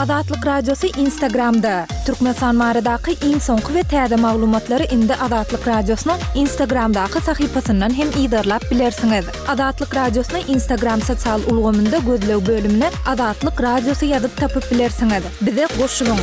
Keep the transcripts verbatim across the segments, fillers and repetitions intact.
Azatlyk Radiosy Instagramda! Türkmenistan baradaky iň soňky we täze maglumatlary indi Azatlyk Radiosynyň Instagramdaky sahypasyndan hem yzarlap bilersiňiz. Azatlyk Radiosyny Instagram sosial ulgamynda gözleg bölümine Azatlyk Radiosy ýazyp tapyp bilersiňiz. Bize goşulyň!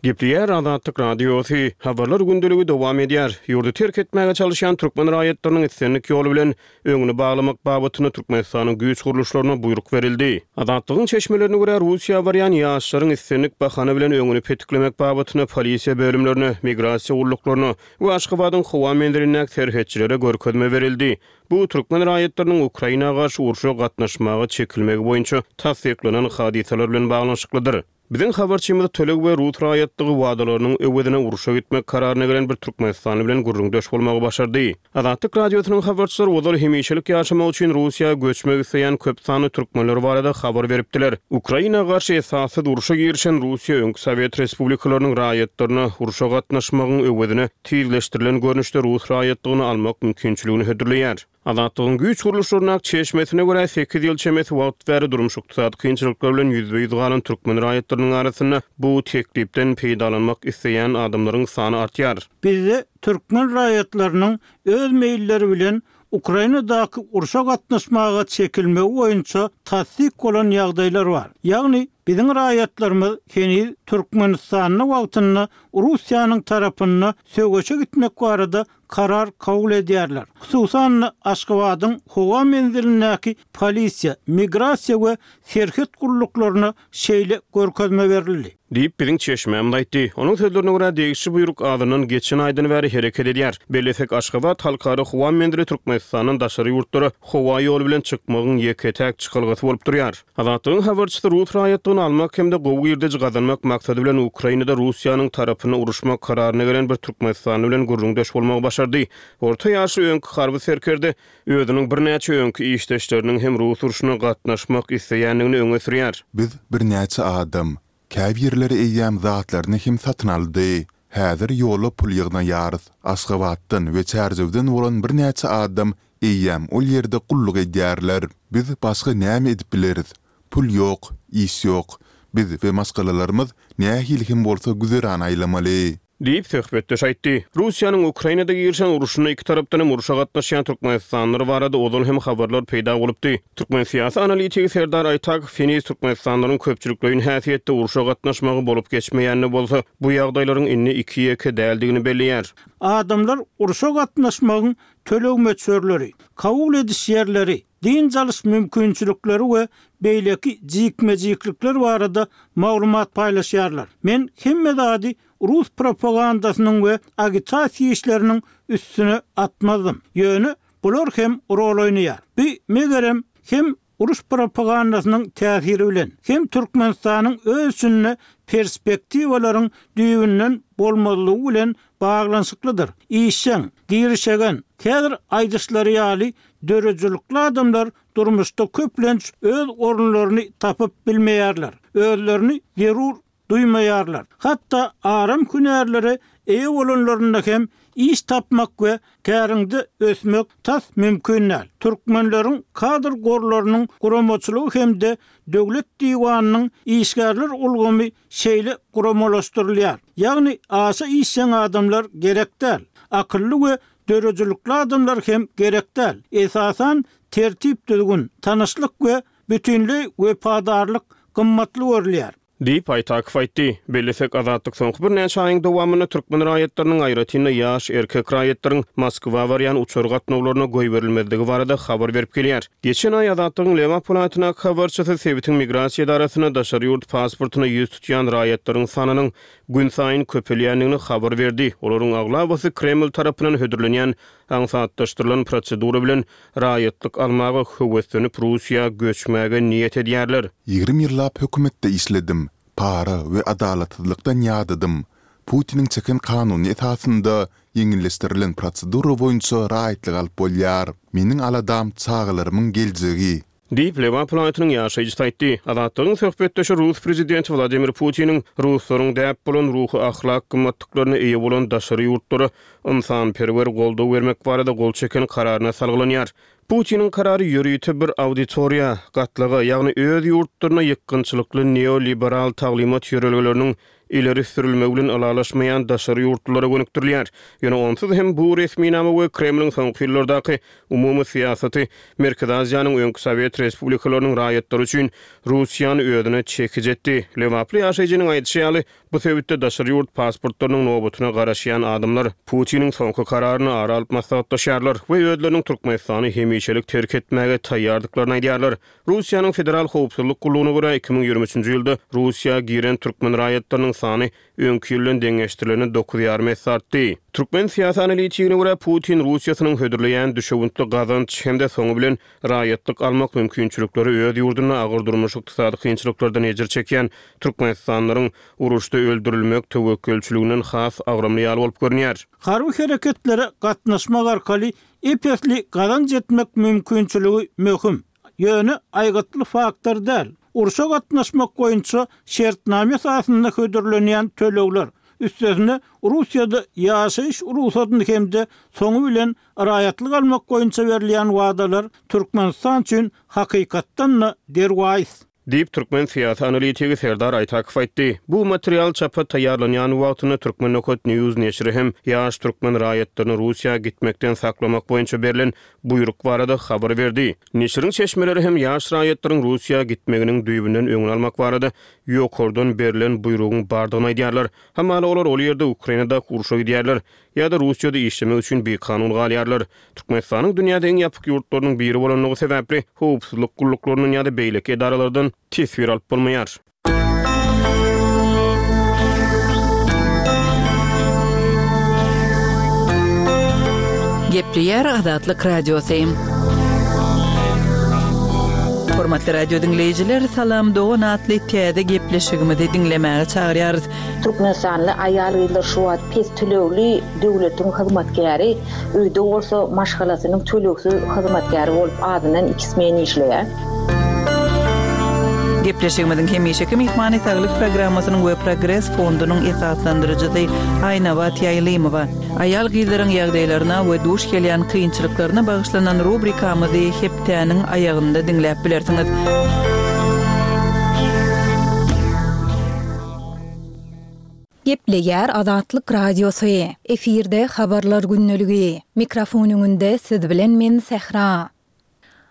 Gepleýär Azatlyk Radiosy, Habarlar gündeligi dowam edýär. Ýurdy terk etmäge çalyşýan türkmen raýatlarynyň islendik ýoly bilen öňüni baglamak babatynda Türkmenistanyň güýç gurluşlaryna buýruk berildi. Azatlygyň çeşmelerine görä, Russiýa barýan ýaşlaryň islendik bahana bilen öňüni petiklemek babatynda polisiýa bölümlerine, migrasiýa gulluklaryna we Aşgabadyň howa menzilindäki serhetçilere görkezme berildi. Bu türkmen raýatlarynyň Ukraina garşy urşa gatnaşmaga çekilmegi boýunça tassyklanan hadysalar bilen baglanyşyklydyr. Biziň habarçymyz töleg we rus raýatlygy wadalarynyň öwezine urşa gitmek kararyna gelen bir türkmenistanly bilen gürrüňdeş bolmagy başardy. Azatlyk Radiosynyň habarçylary ozal hemişelik ýaşamak üçin Russiýa göçmek isleýän köp sanly türkmenler barada habar beripdiler. Ukraina garşy esassyz urşa girişen Russiýa öňki sowet respublikalarynyň raýatlaryna urşa gatnaşmagyň öwezine tizleşdirilen görnüşde rus raýatlygyny almak mümkinçiligini hödürleýär. Azatlygyň güýç gurluşlaryndaky çeşmesine görä, sekiz ýyl çemesi wagt bäri durmuş-ykdysady kynçylyklar bilen ýüzbe-ýüz galan türkmen raýatlarynyň arasynda bu teklipden peýdalanmak isleýän adamlaryň sany artýar. Bizde türkmen raýatlarynyň öz meýilleri bilen Ukrainadaky urşa gatnaşmaga çekilmegi boýunça tassyk bolan ýagdaýlar bar. Ýagny, biziň raýatlarymyz heniz Türkmenistanda wagtynda Russiýanyň tarapynda söweşe gitmek barada karar kabul edýärler. Hususan-da, Aşgabadyň howa menzilindäki polisiýa, migrasiýa we serhet gulluklaryna şeýle görkezme berildi. Diýip, biziň çeşmämiz aýtdy. Onuň sözlerine görä, degişli buýruk azyndan geçen aýdan bäri hereket edýär. Bellesek, Aşgabat halkara howa menzili Türkmenistandan daşary ýurtlara howa ýoly bilen çykmagyň ýeke-täk çykalgasy bolup durýar. Azatlygyň habarçysy rus raýatlygyny almak hem-de gowy girdeji gazanmak maksady bilen Ukrainada Russiýanyň tarapyna uruşmak kararyna gelen bir türkmenistanly bilen gürrüňdeş bolmagy başardy. Orta ýaşly öňki harby serkerde özüniň birnäçe öňki işdeşleriniň hem rus urşuna gatnaşmak isleýändigini öňe sürýär. Biz birnäçe adam. Käbirleri eýýäm zatlaryny hem satyn aldy. Häzir ýola pul ýygnaýarys. Aşgabatdan we Çärjewden bolan birnäçe adam eýýäm ol ýerde gulluk edýärler. Biz başga näme edip bileris? Pul ýok, iş ýok. Biz we maşgalalarymyz nähili hem bolsa güzeran aýlamaly. Diýip, söhbetdeş aýtdy. Russiýanyň Ukrainada girişen urşunda iki tarapdan hem urşa gatnaşýan türkmenistanlylar barada ozal hem habarlar peýda bolupdy. Türkmen syýasy analitigi Serdar Aýtakow heniz türkmenistanlylaryň köpçülikleýin häsiýetde urşa gatnaşmagy bolup geçmeýän-de bolsa, bu ýagdaýlaryň indi iki-ýeke däldigini belleýär. Adamlar urşa gatnaşmagyň töleg möçberleri, kabul ediş ýerleri, dynç alyş mümkinçilikleri we beýleki jikme-jiklikler barada maglumat paýlaşýarlar. Men hemme zady rus propagandasynyň we agitasiýa işleriniň üstüne atmazdym. Ýöne bular hem rol oýnaýar. Bu, megerem, hem uruş propagandasynyň täsiri bilen, hem Türkmenistanyň öz içinde perspektiwalaryň düýbünden bolmazlygy bilen baglanyşyklydyr. Işjeň, girişegen, häzir aýdyşlary ýaly döredijilikli adamlar durmuşda köplenç öz orunlaryny tapyp bilmeýärler, özlerini zerur duýmaýarlar. Hatda aram hünärlere eýe bolanlarynda hem iş tapmak we käriňde ösmek tas mümkin däl. Türkmenleriň kadr gorlarynyň guramaçylygy hem-de Döwlet diwanynyň işgärler ulgamy şeýle guramalaşdyrylýar. Ýagny aşa işjeň adamlar gerek däl. Akylly we döredijilikli adamlar hem gerek däl. Esasan tertip-düzgün, tanyşlyk we bütinleý wepadarlyk gymmatly görülýär. Diýip, Aýtakow aýtdy. Bellesek, Azatlyk soňky birnäçe aýyň dowamynda türkmen raýatlarynyň, aýratyn-da, ýaş erkek raýatlaryň Moskwa barýan uçar gatnawlaryna goýberilmezligi barada habar berip gelýär. Geçen aý Azatlygyň Lebap welaýatyndaky habarçysy sebitiň migrasiýa edarasynda daşary ýurt pasportyna ýüz tutýan raýatlaryň sanynyň günsaýyn köpelýändigini habar berdi. Olaryň aglabasy Kreml tarapyndan hödürlenýän aňsatlaşdyrylan prosedura bilen raýatlyk almaga höweslenip Russiýa göçmäge niýet edýärler. Ýigrimi ýyllap hökümetde işledim. Para we adalatsyzlykdan ýadadym. Putiniň çeken kanuny esasynda ýeňilleşdirilen prosedura boýunça raýatlyk alyp bolýar. Meniň aladam çagalarymyň geljegi. Diýip, Lebap welaýatynyň ýaşaýjysy aýtdy. Azatlygyň söhbetdeşi rus prezidenti Wladimir Putiniň ruslaryň däp bolan ruhy-ahlak gymmatlyklaryna eýe bolan daşary ýurtlara ynsanperwer goldaw bermek barada gol çeken kararyna salgylanýar. Putiniň karary ýörite bir auditoriýa, gatlaga, ýagny öz ýurtlaryna ýykgynçylykly neoliberal taglymat ýörelgeleriniň ileri sürülmegi bilen ylalaşmaýan daşary ýurtlulara gönükdirilýär. Ýöne onsuz hem bu resminama we Kremliň soňky ýyllardaky umumy syýasaty Merkezi Aziýanyň öňki sowet respublikalarynyň raýatlary üçin Russiýany özüne çekiji etdi. Lebaply ýaşaýjynyň aýdyşy ýaly, bu sebitde daşary ýurt pasportlarynyň nobatyna garaşýan adamlar Putiniň soňky kararyny ara alyp maslahatlaşýarlar we özleriniň Türkmenistany hemişelik terk etmäge taýýardyklaryny aýdýarlar. Russiýanyň Federal howpsuzlyk gullugyna görä, iki müň ýigrimi üçünji ýylda Russiýa giren türkmen raýatlarynyň sany öňki ýyl bilen deňeşdirilende dokuz ýarym esse artdy. Türkmen syýasy analitigine görä, Putin Russiýasynyň hödürleýän düşewüntli gazanç hem-de soňy bilen raýatlyk almak mümkinçilikleri öz ýurdunda agyr durmuş-ykdysady kynçylyklardan ejir çekýän türkmenistanlylaryň uruşda öldürilmek töwekgelçiliginden has agramly ýaly bolup görünýär. Harby hereketlere gatnaşmak arkaly ep-esli gazanç etmek mümkinçiligi möhüm, ýöne aýgytly faktor däl. Urşa gatnaşmak boýunça şertnama esasynda hödürlenýän tölegler, üstesine Russiýada ýaşaýyş rugsadyny hem-de soňy bilen raýatlyk almak boýunça berilýän wadalar Türkmenistan üçin hakykatdan-da derwaýys. Diýip, türkmen syýasy analitigi Serdar Aýtakow aýtdy. Bu material çapa taýýarlanýan wagtynda Turkmen nokat News neşiri hem ýaş türkmen raýatlaryny Russiýa gitmekden saklamak boýunça berlen buýruk barada habar berdi. Neşiriň çeşmeleri hem ýaş raýatlaryň Russiýa gitmeginiň düýbünden öňüni almak barada ýokardan berlen buýrugyň bardygyny aýdýarlar. Hamala olar ol ýerde Ukrainadaky urşa gidýärler ýa-da Russiýada işlemek üçin bikanun galýarlar. Türkmenistanyň dünýäde iň ýapyk ýurtlarynyň biri bolanlygy sebäpli howpsuzlyk gulluklaryndan ýa-da beýleki edaralardan teswir alyp bolmaýar. Gepleýär Azatlyk Radiosy. Hormatly radio diňleýjiler, Salam Dogan atly täze gepleşigimizi diňlemäge çagyrýarys. Türkmenistanly aýal-gyzlar şu wagt pes tölegli döwletiň hyzmatkäri, öýde bolsa maşgalasynyň tölegsiz hyzmatkäri bolup azyndan iki smen işleýär. Gepleşigimiziň hemişeki myhmany saglyk programmasynyň we Progres fondunyň esaslandyryjysy Aýnabat Ýaýlymowa. Aýal-gyzlaryň ýagdaýlaryna we duş gelýän kynçylyklaryna bagyşlanan rubrikamyzy hepdäniň aýagynda diňläp bilersiňiz. Gepleýär Azatlyk Radiosy. Efirde habarlar gündeligi. Mikrofon öňünde siz bilen men Sähra.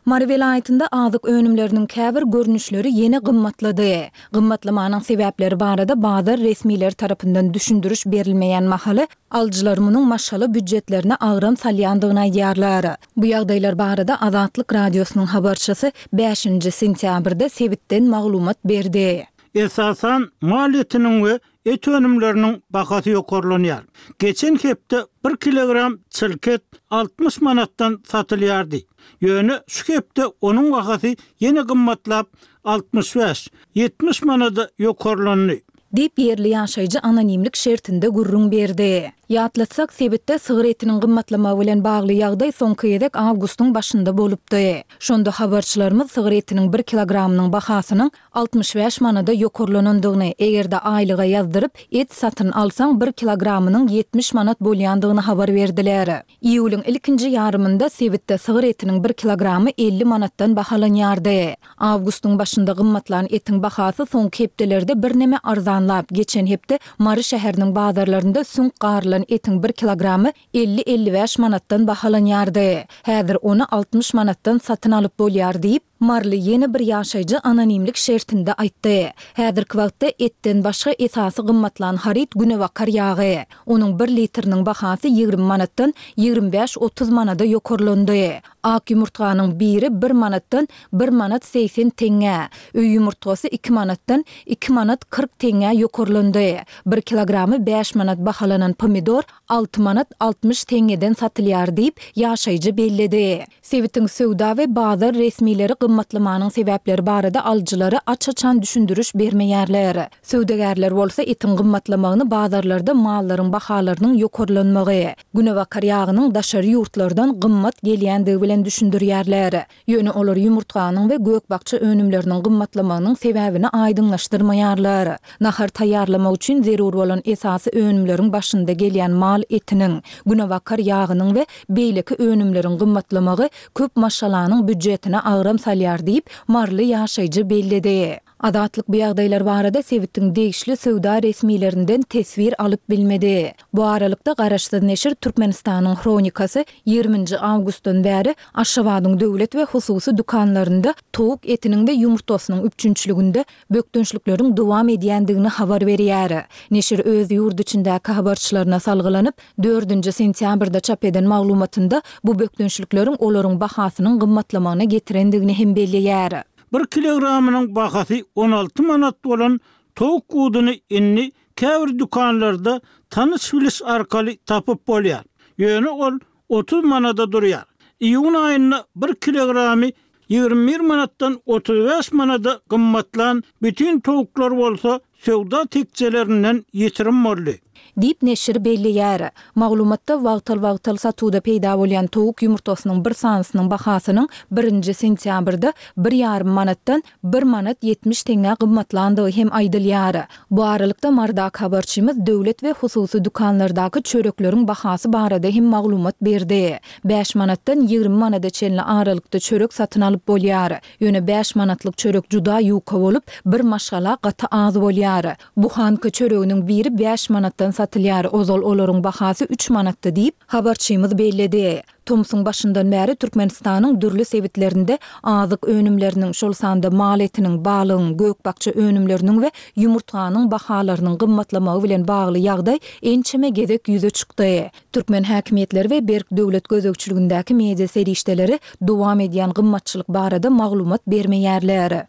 Mary welaýatynda azyk önümleriniň käbir görnüşleri ýene gymmatlady. Gymmatlamanyň sebäpleri barada bazar resmileri tarapyndan düşündiriş berilmeýän mahaly alyjylar munuň maşgala býudjetlerine agram salýandygyny aýdýarlar. Bu ýagdaýlar barada Azatlyk Radiosynyň habarçysy bäşinji sentýabrda sebitden maglumat berdi. Esasan maliýetiniň we et önümleriniň bahasy ýokarlanýar. Geçen hepde bir kilogram çilket altmyş manatdan satylýardy. Ýöne şu hepde onuň bahasy ýene gymmatlap altmyş bäş, ýetmiş manada ýokarlandy. Diýip ýerli ýaşaýjy anonimlik şertinde gürrüň berdi. Ýatlatsak, sebitde sygyr etiniň gymmatlamagy bilen bagly ýagdaý soňky gezek awgustyň başynda bolupdy. Şonda habarçylarymyz sygyr etiniň bir kilogramynyň bahasynyň altmyş bäş manada ýokarlanandygyny, eger-de aýlyga ýazdyryp, et satyn alsaň bir kilogramynyň ýetmiş manat bolýandygyny habar berdiler. Iýulyň ilkinji ýarymynda sebitde sygyr etiniň bir kilogramy elli manatdan bahalanýardy. Awgustyň başynda gymmatlan etiň bahasy soňky hepdelerde birneme arzanlap, geçen hepde Mary şäheriniň bazarlarynda süňk garylan etiň bir kilogramy elli-elli bäş manatdan bahalanýardy. Häzir ony altmyş manatdan satyn alyp bolýar diýip, Maryly ýene bir ýaşaýjy anonimlik şertinde aýtdy. Häzirki wagtda etden başga esasy gymmatlan haryt günebakar ýagy. Onuň bir litriniň bahasy ýigrimi manatdan ýigrimi bäş-otuz manada ýokarlandy. Ak ýumurtganyň biri bir manatdan bir manat segsen teňňä, öý ýumurtgasy iki manatdan iki manat kyrk teňňä ýokarlandy. Bir kilogramy bäş manat bahalanan pomidor alty manat altmyş teňňeden satylýar diýip, ýaşaýjy belledi. Sebitiň söwda we bazar resmileri gymmatlamanyň sebäpleri barada alyjylara aç-açan düşündiriş bermeýärler. Söwdagärler bolsa etiň gymmatlamagyny bazarlarda mallaryň bahalarynyň ýokarlanmagy, günebakar ýagynyň daşary ýurtlardan gymmat gelýändigi bilen düşündirýärler. Ýöne olar ýumurtganyň we gök-bakja önümleriniň gymmatlamagynyň sebäbini aýdyňlaşdyrmaýarlar. Nahar taýýarlamak üçin zerur bolan esasy önümleriň başynda gelýän mal etiniň, günebakar ýagynyň we beýleki önümleriň gymmatlamagy köp maşgalanyň býujetine agram salýar diýip, maryly ýaşaýjy belledi. Azatlyk bu ýagdaýlar barada sebitiň degişli söwda resmilerinden teswir alyp bilmedi. Bu aralykda, garaşsyz neşir Türkmenistanyň Hronikasy ýigriminji awgustdan bäri Aşgabadyň döwlet we hususy dükanlarynda towuk etiniň we ýumurtgasynyň üpjünçiliginde bökdençlikleriň dowam edýändigini habar berýär. Neşir öz ýurt içindäki habarçylaryna salgylanyp, dördünji sentýabrda çap eden maglumatynda bu bökdençlikleriň olaryň bahasynyň gymmatlamagyna getirendigini hem belleýär. Bir kilogramynyň bahasy on alty manat bolan towuk buduny indi käbir dükanlarda tanyş-biliş arkaly tapyp bolýar. Ýöne ol otuz manada durýar. Iýun aýynda bir kilogramy ýigrimi bir manatdan otuz bäş manada gymmatlan bütin towuklar bolsa söwda tekjelerinden ýitirim boldy. Diýip, neşir belleýär. Maglumatda wagtal-wagtal satuwda peýda bolýan towuk ýumurtgasynyň bir sanysynyň bahasynyň birinji sentýabrda bir ýarym manatdan bir manat ýetmiş teňňä gymmatlandygy hem aýdylýar. Bu aralykda, Marydaky habarçymyz döwlet we hususy dükanlardaky çörekleriň bahasy barada hem maglumat berdi. Bäş manatdan ýigrimi manada çenli aralykda çörek satyn alyp bolýar. Ýöne bäş manatlyk çörek juda ýuka bolup, bir maşgala gaty az bolýar. Buhanka çöreginiň biri bäş manatdan satylýar, ozal olaryň bahasy üç manatdy diýip, habarçymyz belledi. Tomsuň başyndan bäri Türkmenistanyň dürli sebitlerinde azyk önümleriniň, şol sanda mal etiniň, balygyň, gök-bakja önümleriniň we ýumurtganyň bahalarynyň gymmatlamagy bilen bagly ýagdaý ençeme gezek ýüze çykdy. Türkmen häkimiýetleri we berk döwlet gözegçiligindäki media serişdeleri dowam edýän gymmatçylyk barada maglumat bermeýärler.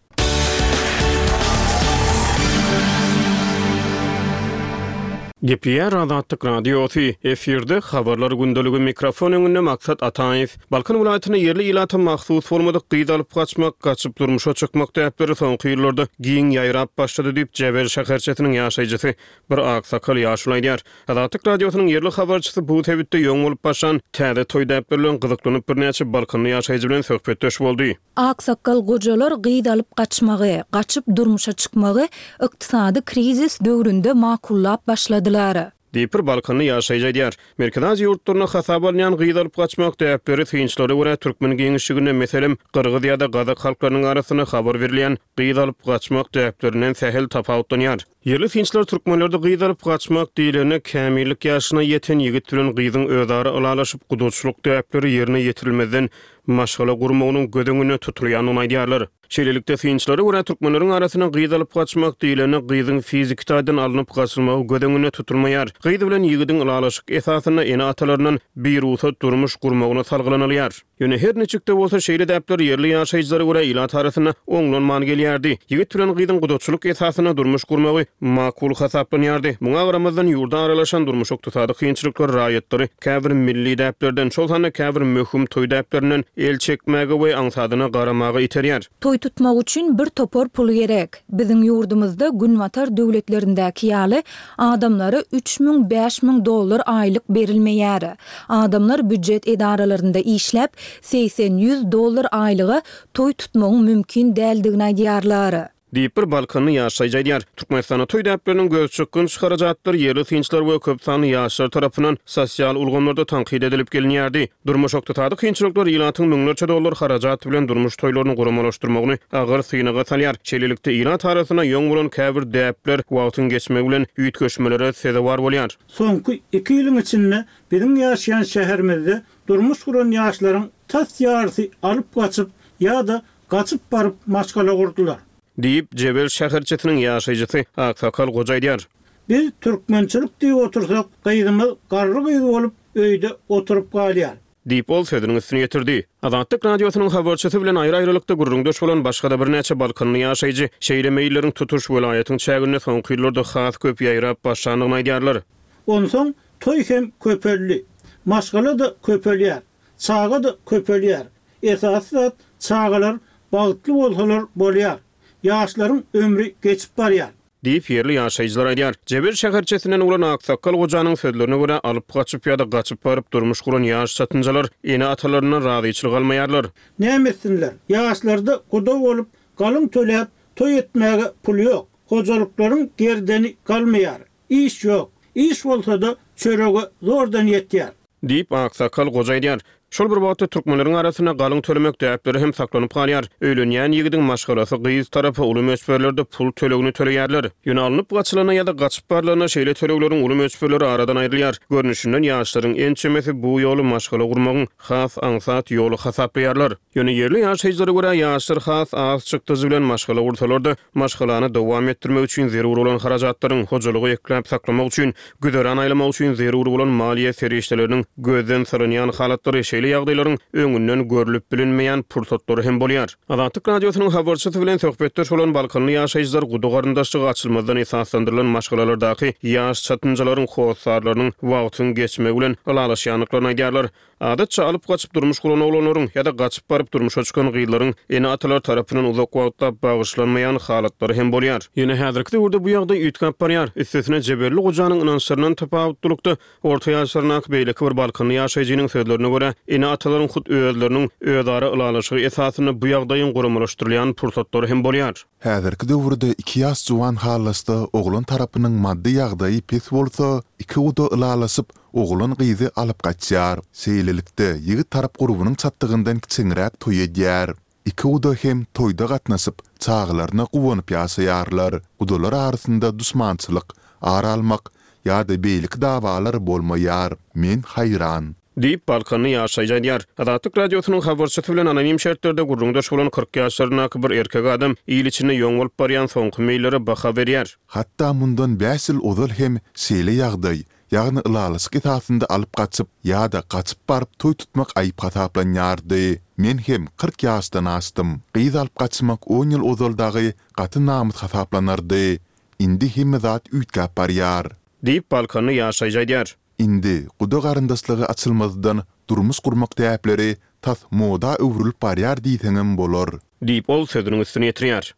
Gepleýär Azatlyk Radiosy, efirde Habarlar gündeligi mikrofon öňünde Maksat Ataýew. Balkan welaýatynda ýerli ilata mahsus bolmadyk gyz alyp gaçmak, gaçyp durmuşa çykmak däpleri soňky ýyllarda giň ýaýrap başlady diýip, Jebel şäherçesiniň ýaşaýjysy bir aksakal ýaşuly aýdýar. Azatlyk Radiosynyň ýerli habarçysy bu sebitde ýoň bolup başlan täze toý däpleri bilen gyzyklanyp birnäçe balkanly ýaşaýjy bilen söhbetdeş boldy. Aksakgal gojalar gyz alyp gaçmagy, gaçyp durmuşa çykmagy ykdysady krizis döwründe makullap başladylar. Diýip, bir balkanly ýaşaýjy aýdýar. Merkezi Aziýa ýurtlarynda hasaba alynýan gyz alyp gaçmak däpleri synçylara görä türkmen giňişliginde, meselem, gyrgyz ýa-da gazak halklarynyň arasynda habar berilýän gyz alyp gaçmak däplerinden sähel tapawutlanýar. Ýerli synçylar türkmenlerde gyz alyp gaçmak diýlende kämillik ýaşyna ýeten ýigit bilen gyzyň özara ylalaşyp gudaçylyk däpleri ýerine ýetirilmezden maşgala gurmagynyň göz öňünde tutulýandygyny aýdýarlar. Şeýlelikde, synçylara görä, türkmenleriň arasynda gyz alyp gaçmak diýlende gyzyň fiziki taýdan alnyp gaçylmagy göz öňünde tutulmaýar. Gyz bilen ýigidiň ylalaşyk esasynda ene-atalaryndan birugsat durmuş gurmagyna salgylanylýar. Ýöne her niçik-de bolsa, şeýle däpler ýerli ýaşaýjylara görä ilat arasynda oňlanman gelýärdi. Ýigit bilen gyzyň gudaçylyk esasynda durmuş gurmagy makul hasaplanýardy. Muňa garamazdan, ýurda aralaşan durmuş-ykdysady kynçylyklar raýatlary käbir milli däplerden, şol sanda käbir möhüm toý däplerinden el çekmäge we aňsadyna garamaga iterýär. Toý tutmak üçin bir topar pul gerek. Biziň ýurdumyzda günbatar döwletlerindäki ýaly adamlara üç müň, bäş müň dollar aýlyk berilmeýär. Adamlar býujet edaralarynda işläp, segsen, ýüz dollar aýlyga toý tutmagyň mümkin däldigini aýdýarlar. Diýip, bir balkanly ýaşaýjy aýdýar. Türkmenistanda toý däpleriniň gözçykgynç harajatlary ýerli synçylar we köp sanly ýaşlar tarapyndan sosial ulgamlarda tankyt edilip gelinýärdi. Durmuş-ykdysady kynçylyklar ilatyň müňlerçe dollar harajat bilen durmuş toýlaryny guramalaşdyrmagyny agyr synaga salýar. Şeýlelikde, ilat arasynda ýoň bolan käbir däpler wagtyň geçmegi bilen üýtgeşmelere sezewar bolýar. Soňky iki ýylyň içinde biziň ýaşaýan şäherimizde durmuş guran ýaşlaryň tas ýarysy alyp gaçyp ýa-da gaçyp baryp maşgala gurdular. Diýip, Jebel şäherçesiniň ýaşaýjysy aksakal goja aýdýar. Biz türkmençilik diýip otursak, gyzymyz garry gyz bolup öýde oturyp galýar. Diýip, ol sözüniň üstüni ýetirdi. Azatlyk Radiosynyň habarçysy bilen aýry-aýrylykda gürrüňdeş bolan başga-da birnäçe balkanly ýaşaýjy şeýle meýilleriň tutuş welaýatyň çäginde soňky ýyllarda has köp ýaýrap başlandygyny aýdýarlar. Onsoň toý hem köpeldi. Maşgala-da köpelýär. Çaga-da köpelýär. Esasy zat, çagalar Bagtly bolsalar bolýar. Ýaşlaryň ömri geçip barýar. Diýip, ýerli ýaşaýjylar aýdýar. Jebel şäherçesinden bolan aksakgal gojanyň sözlerine görä, alyp gaçyp ýa-da gaçyp baryp durmuş guran ýaş çatynjalar ene-atalaryndan razyçylyk almaýarlar. Näme etsinler? Ýaşlarda guda bolup, galyň töläp, toý etmäge pul ýok. Hojalyklaryň gerdeni galmaýar. Iş ýok. Iş bolsa-da çörege zordan ýetýär. Diýip, aksakgal goja aýdýar. Şol bir wagtda, türkmenleriň arasynda galyň tölemek däpleri hem saklanyp galýar. Öýlenýän ýigidiň maşgalasy gyz tarapa uly möçberlerde pul tölegini töleýärler. Ýöne alnyp gaçylanda ýa-da gaçyp barlanda şeýle tölegleriň uly möçberleri aradan aýrylýar. Görnüşinden, ýaşlaryň ençemesi bu ýoly maşgala gurmagyň has aňsat ýoly hasaplaýarlar. Ýöne ýerli ýaşaýjylara görä, ýaşlar has az çykdajy bilen maşgala gursalar-da, maşgalany dowam etdirmek üçin zerur bolan harajatlaryň, hojalygy ekläp-saklamak üçin, güzeran aýlamak üçin zerur bolan maliýe serişdeleriniň gözden salynýan halatlary, şeýle ýagdaýlaryň öňünden görlüp bilinmeýän pursatlary hem bolýar. Azatlyk Radiosynyň habarçysy bilen söhbetdeş bolan balkanly ýaşaýjylar guda garyndaşlygy açylmazdan esaslandyrylan maşgalalardaky ýaş çatynjalaryň hossarlarynyň wagtyň geçmegi bilen ylalaşýandyklaryny aýdýarlar. Adatça alyp gaçyp durmuş guran oglanlaryň ýa-da gaçyp baryp durmuşa çykan gyzlaryň ene-atalary tarapyndan uzak wagtlap bagyşlanmaýan halatlary hem bolýar. Ýöne häzirki döwürde bu ýagdaý üýtgäp barýar. Üstesine jebelli gojanyň ynançlaryndan tapawutlylykda, orta ýaşlaryndaky beýleki bir balkanly ýaşaýjynyň sözlerine görä, ene-atalaryň hut özleriniň özara ylalaşygy esasynda bu ýagdaýyň guramalaşdyrylýan pursatlary hem bolýar. Häzirki döwürde iki ýaş juwan halaşsa, oglan tarapynyň maddy ýagdaýy pes bolsa, iki guda ylalaşyp, oglan gyzy alyp gaçýar. Şeýlelikde, ýigit tarap gurbunyň çatdygyndan kiçeňräk toý edýär. Iki guda hem toýda gatnaşyp, çagalaryna guwanyp ýaşaýarlar. Gudalar arasynda duşmançylyk, ar almak ýa-da beýleki dawalar bolmaýar. Men haýran. Diýip, balkanly ýaşaýjy aýdýar. Azatlyk Radiosynyň habarçysy bilen anonim şertlerde gürrüňdeş bolan kyrk ýaşlaryndaky bir erkek adam il içinde ýoň bolup barýan soňky meýillere baha berýär. Hatda mundan bäş ýyl ozal hem şeýle ýagdaý, ýagny ylalaşyk esasynda alyp gaçyp ýa-da gaçyp baryp toý tutmak aýyp hasaplanýardy. Men hem kyrk ýaşdan aşdym. Gyz alyp gaçmak on ýyl ozal dagy gaty namys hasaplanardy. Indi hemme zat üýtgäp barýar. Diýip, balkanly ýaşaýjy aýdýar. Indi guda garyndaşlygy açylmazdan durmuş gurmak däpleri tas moda öwrülip barýar diýseňem bolar. Diýip, ol sözüniň üstüni ýetirýär.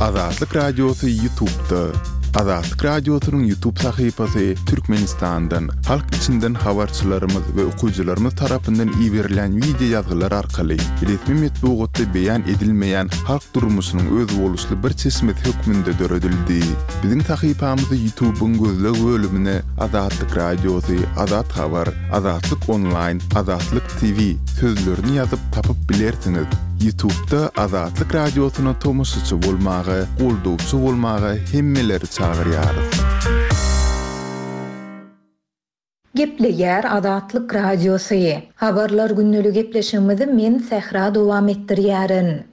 Azatlyk Radiosy YouTube'da. Azatlyk Radiosynyň YouTube sahypasy Türkmenistandan, halk içinden habarçylarymyz we okyjylarymyz tarapyndan iberilýän wideo ýazgylar arkaly resmi metbugatda beýan edilmeýän halk durmuşynyň özboluşly bir çeşmesi hökmünde döredildi. Biziň sahypamyzy YouTube'yň gözleg bölümine Azatlyk Radiosy, Azat Habar, Azatlyk Online, Azatlyk T V sözlerini ýazyp tapyp bilersiňiz. YouTube'da Azatlyk Radiosyna tomaşaçy bolmaga, goldawçy bolmaga hemmeleri çagyrýarys. Gepleýär Azatlyk Radiosy. Habarlar gündelik gepleşigimizi men Sähra dowam etdirýärin.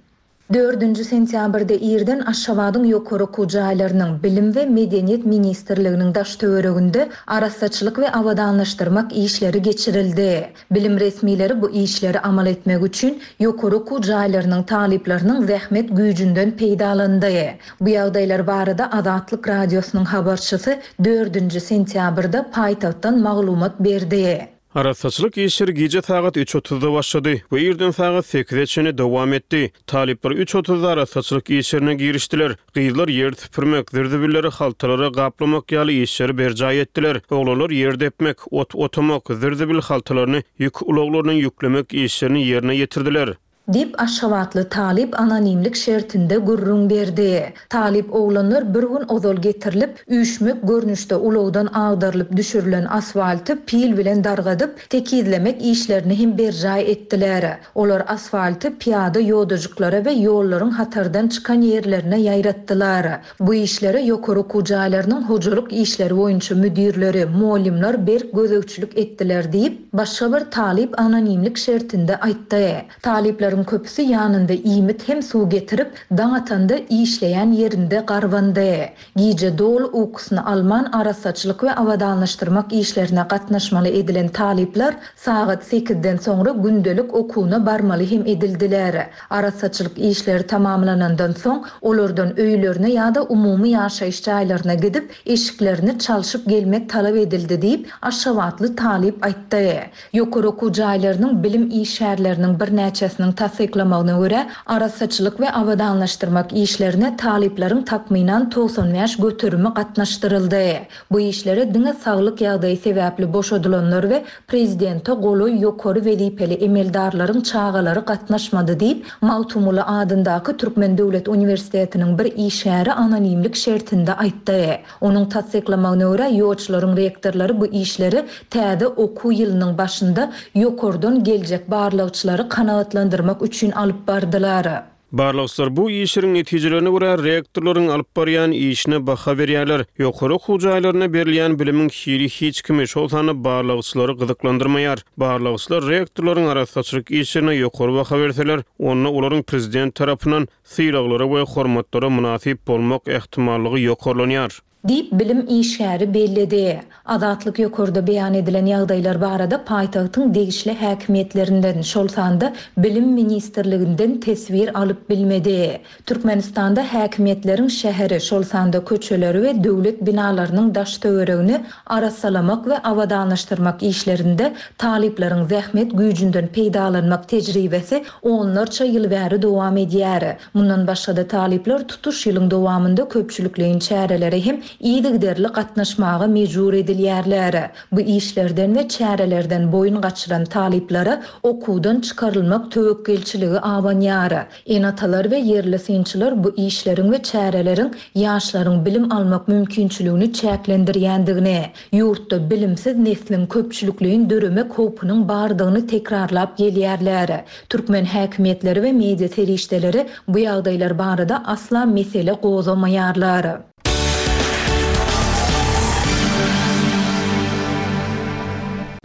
Dördünji sentýabrda irden Aşgabadyň ýokary okuw jaýlarynyň Bilim we Medeniýet ministrliginiň daş töwereginde arassaçylyk we abadanlaşdyrmak işleri geçirildi. Bilim resmileri bu işleri amal etmek üçin ýokary okuw jaýlarynyň talyplarynyň zähmet güýjünden peýdalandy. Bu ýagdaýlar barada Azatlyk Radiosynyň habarçysy dördünji sentýabrda paýtagtdan maglumat berdi. Arassaçylyk işleri gije sagat üç otuzda başlady we irden sagat sekize çenli dowam etdi. Talyplar üç otuzda arassaçylyk işlerine girişdiler. Gyzlar ýer süpürmek, zirzibilleri haltalara gaplamak ýaly işleri berjaý etdiler. Oglanlar ýer depmek, ot otamak, zirzibil haltalaryny ýük ulaglaryna ýüklemek işlerini ýerine ýetirdiler. Diýip Aşgabatly talyp anonimlik şertinde gürrüň berdi. Talyp oglanlar bir gün ozal getirilip, üýşmek görnüşde ulagdan agdarylyp düşürilen asfalty pil bilen dargadyp, tekizlemek işlerini hem berjaý etdiler. Olar asfalty piyada ýodajyklara we ýollaryň hatardan çykan ýerlerine ýaýratdylar. Bu işlere ýokary okuw jaýlarynyň hojalyk işleri boýunça müdirleri, muallimler berk gözegçilik etdiler diýip, başga bir talyp anonimlik şertinde aýtdy. Talyplaryň Işçileriň köpüsi ýanynda iýmit hem suw getirip, daň atanda işleýän ýerinde garbandy. Gije doly ukusyny alman arassaçylyk we abadanlaşdyrmak işlerine gatnaşmaly edilen talyplar sagat sekizden soňra gündelik okuwyna barmaly hem edildiler. Arassaçylyk işleri tamamlanandan soň olardan öýlerine ýa-da umumy ýaşaýyş jaýlaryna gidip, eşiklerini çalşyp gelmek talap edildi diýip, aşgabatly talyp aýtdy. Ýokary okuw jaýlarynyň bilim işgärleriniň birnäçesiniň tassyklamagyna görä, arassaçylyk we abadanlaşdyrmak işlerine talyplaryň takmynan togsan bäş göterimi gatnaşdyryldy. Bu işlere diňe saglyk ýagdaýy sebäpli boşadylanlar we prezidente golaý ýokary wezipeli emeldarlaryň çagalary gatnaşmady diýip, Magtymguly adyndaky Türkmen döwlet uniwersitetiniň bir işgäri anonimlik şertinde aýtdy. Onuň tassyklamagyna görä, ýolçularyň rektorlary bu işleri täze okuw ýylynyň başynda ýokardan geljek barlagçylary kanagatlandyrmak üçin alyp bardylar. Barlagçylar bu işleriň netijelerine görä rektorlaryň alyp barýan işine baha berýärler. Ýokary okuw jaýlaryna berilýän bilimiň hili hiç kimi, şol sanda barlagçylary gyzyklandyrmaýar. Barlagçylar rektorlaryň arassaçylyk işlerine ýokary baha berseler, onda olaryň prezident tarapyndan sylaglara we hormatlara mynasyp bolmak ehtimallygy ýokarlanýar. Diýip bilim işgäri belledi. Azatlyk ýokarda beýan edilen ýagdaýlar barada paýtagtyň degişli häkimiýetlerinden, şol sanda bilim ministrliginden teswir alyp bilmedi. Türkmenistanda häkimiýetleriň şäheri, şol sanda köçeleri we döwlet binalarynyň daş töweregini arassalamak we abadanlaşdyrmak işlerinde talyplaryň zähmet güýjünden peýdalanmak tejribesi onlarça ýyl bäri dowam edýär. Mundan başga-da talyplar tutuş ýylyň dowamynda köpçülikleýin çärelere hem yzygiderli gatnaşmaga mejbur edilýärler. Bu işlerden we çärelerden boýun gaçyran talyplara okuwdan çykarylmak töwekgelçiligi abanýar. Ene-atalar we ýerli synçylar bu işleriň we çäreleriň ýaşlaryň bilim almak mümkinçiligini çäklendirýändigini, ýurtda bilimsiz nesliň köpçülikleýin döremek howpunyň bardygyny tekrarlap gelýärler. Türkmen häkimiýetleri we media serişdeleri bu ýagdaýlar barada asla mesele gozgamaýarlar.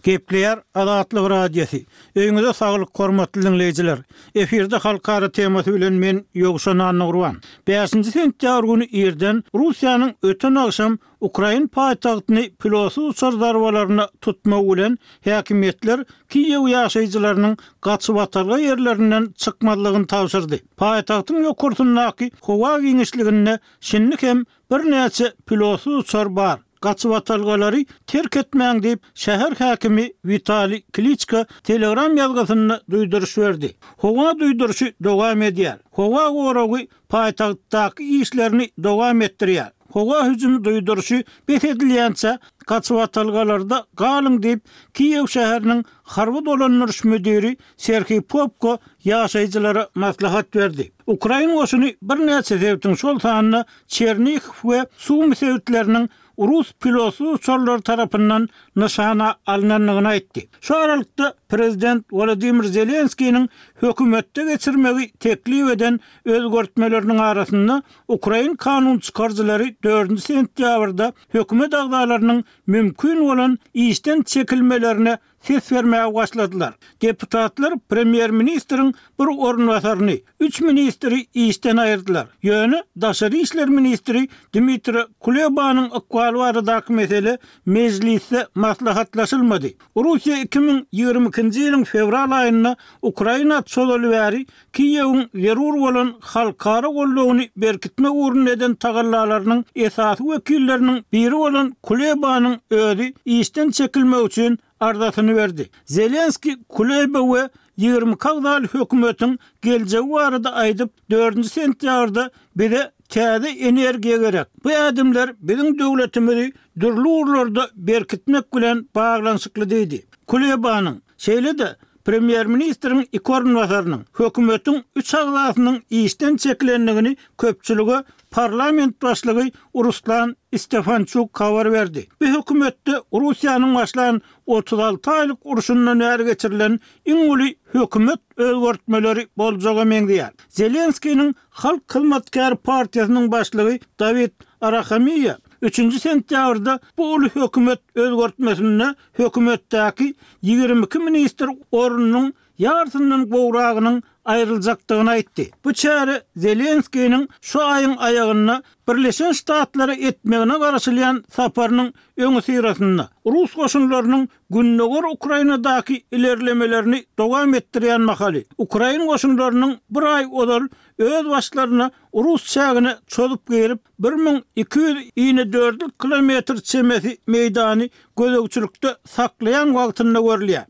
Gepleýär Azatlyk Radiosy. Öýüňize saglyk, hormatly dinleýjiler. Efirde halkara temasy bilen men Ýowşan Annagurban. Bäşinji sentýabr güni irden Russiýanyň öten agşam Ukrain paýtagtyny pilotsyz uçar zarbalaryna tutmagy bilen häkimiýetler Kiýew ýaşaýjylarynyň gaçybatalga ýerlerinden çykmazlygyny tabşyrdy. Paýtagtyň ýokarsyndaky howa giňişliginde şindi hem birnäçe pilotsyz uçar bar. Gaçybatalgalary terk etmäň diýip, şäher häkimi Witaliý Kliçko Telegram ýazgysynda duýduryş berdi. Howa duýduryşy dowam edýär. Howa goragy paýtagtdaky işlerini dowam etdirýär. Howa hüjümi duýduryşy bes edilýänçä gaçybatalgalarda galyň diýip, Kiýew şäheriniň harby dolandyryş müdiri Serhiý Popko ýaşaýjylara maslahat berdi. Ukrain goşuny birnäçe sebitiň, şol sanda Çernihiw we Sumy sebitleriniň Rus pilotsyz uçarlary tarapyndan nyşana alynandygyny aýtdy. Şu aralykda prezident Wladimir Zelenskiniň hökümetde geçirmegi teklip eden özgertmeleriniň arasynda Ukrain kanun çykaryjylary dördünji sentýabrda hökümet agzalarynyň mümkin bolan işden çekilmelerine ses bermäge başladylar. Deputatlar premýer-ministriň bir orunbasaryny, üç ministri işden aýyrdylar. Ýöne daşary işler ministri Dmitri Kulebanyň ykbaly baradaky mesele mejlisde maslahatlaşylmady. Russiýa iki müň ýigrimi ikinji ýylyň fewral aýynda Ukraina çozaly bäri Kiýewiň zerur bolan halkara goldawyny berkitmek ugrunda eden tagallalarynyň esasy wekilleriniň biri bolan Kulebanyň özi işden çekilmek üçin arzasyny berdi. Zelenskiý Kuleba we ýigrimi iki agzaly hökümetiň geljegi barada aýdyp, dördünji sentýabrda bize täze energiýa gerek. Bu ädimler biziň döwletimizi dürli ugurlarda berkitmek bilen baglanyşykly diýdi. Kulebanyň, şeýle-de premýer-ministriň iki orunbasarynyň, hökümetiň üç agzasynyň işden çekilendigini köpçülige parlament başlygy Ruslan Stefançuk habar berdi. Bu hökümetde Russiýanyň başlan otuz alty aýlyk urşundan bäri geçirilen iň uly hökümet özgertmeleri boljaga meňzeýär. Zelenskiniň Halk hyzmatkäri partiýasynyň başlygy Dawid Arahamiýa üçünji sentýabrda bu uly hökümet özgertmesinde hökümetdäki ýigrimi iki ministr ornunyň ýarysyndan gowragynyň aýryljakdygyny aýtdy. Bu çäre Zelenskiniň şu aýyň aýagynda Birleşen Ştatlara etmegine garaşylýan saparynyň öňüsyrasynda, rus goşunlarynyň gündogar Ukrainadaky ilerlemelerini dowam etdirýän mahaly, ukrain goşunlarynyň bir aý ozal öz başlaryna rus çägine çozup girip, bir müň iki ýüz inedördül kilometr çemesi meýdany gözegçilikde saklaýan wagtynda görülýär.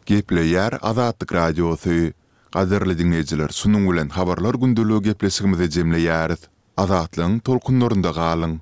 Gepleýär Azatlyk Radiosy. Gadyrly diňleýjiler, şunuň bilen Habarlar gündeligi gepleşigimizi jemleýäris. Azatlygyň tolkunlarynda galyň!